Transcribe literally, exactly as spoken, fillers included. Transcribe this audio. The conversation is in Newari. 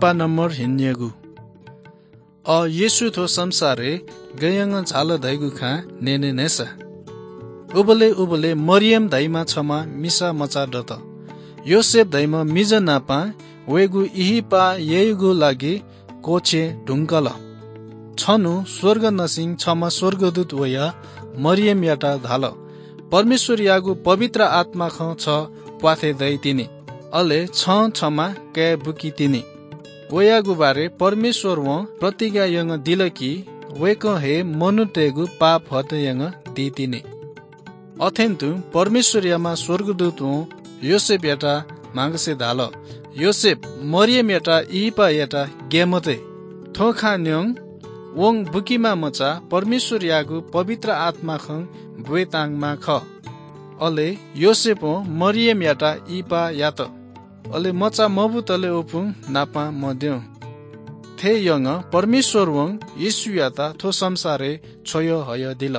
लिपा नम्बर हिन्यगु। अ, येशू थ्व संसारय् गय्‌यंगं झाल धइगु खँ न्यने न्हय्‌सा। उबलय् उबलय् मरियम धाइम्ह छम्ह मिसा मचा दत। योसेफ धाइम्ह मिजंनापं वय्‌गु इहिपा यायेगु लागि क्वःछे धुंकल। छन्हु स्वर्गंनिसें छम्ह स्वर्गदूत वयाः मरियमयात धाल, "परमेश्वरयागु पवित्र आत्माखं छ प्वाथय् दइतिनि, अले छं छम्ह काय् बुकितिनि।" वयागु बारे परमेश्वरं प्रतिज्ञा यानादिल कि वय्‌कः हे मनूतय्‌गु पाप हटय् यानादीतिनि। अथें तुं परमेश्वरयाम्ह स्वर्गदूतं योसेफयात म्हांगसे धाल, "योसेफ, मरियमयात इहिपा यायेत ग्याये मते। थ्व खँ न्यँ, वं बुकीम्ह मचा परमेश्वरयागु पवित्र आत्माखं ब्वयेतांम्ह खः।" अले योसेफं मरियमयात इहिपा यात। अले मचा मबुतले वपुं नापं मद्यं। थथे यानाः परमेश्वरं येशूयात थ्व संसारय् छ्वयाहयादिल।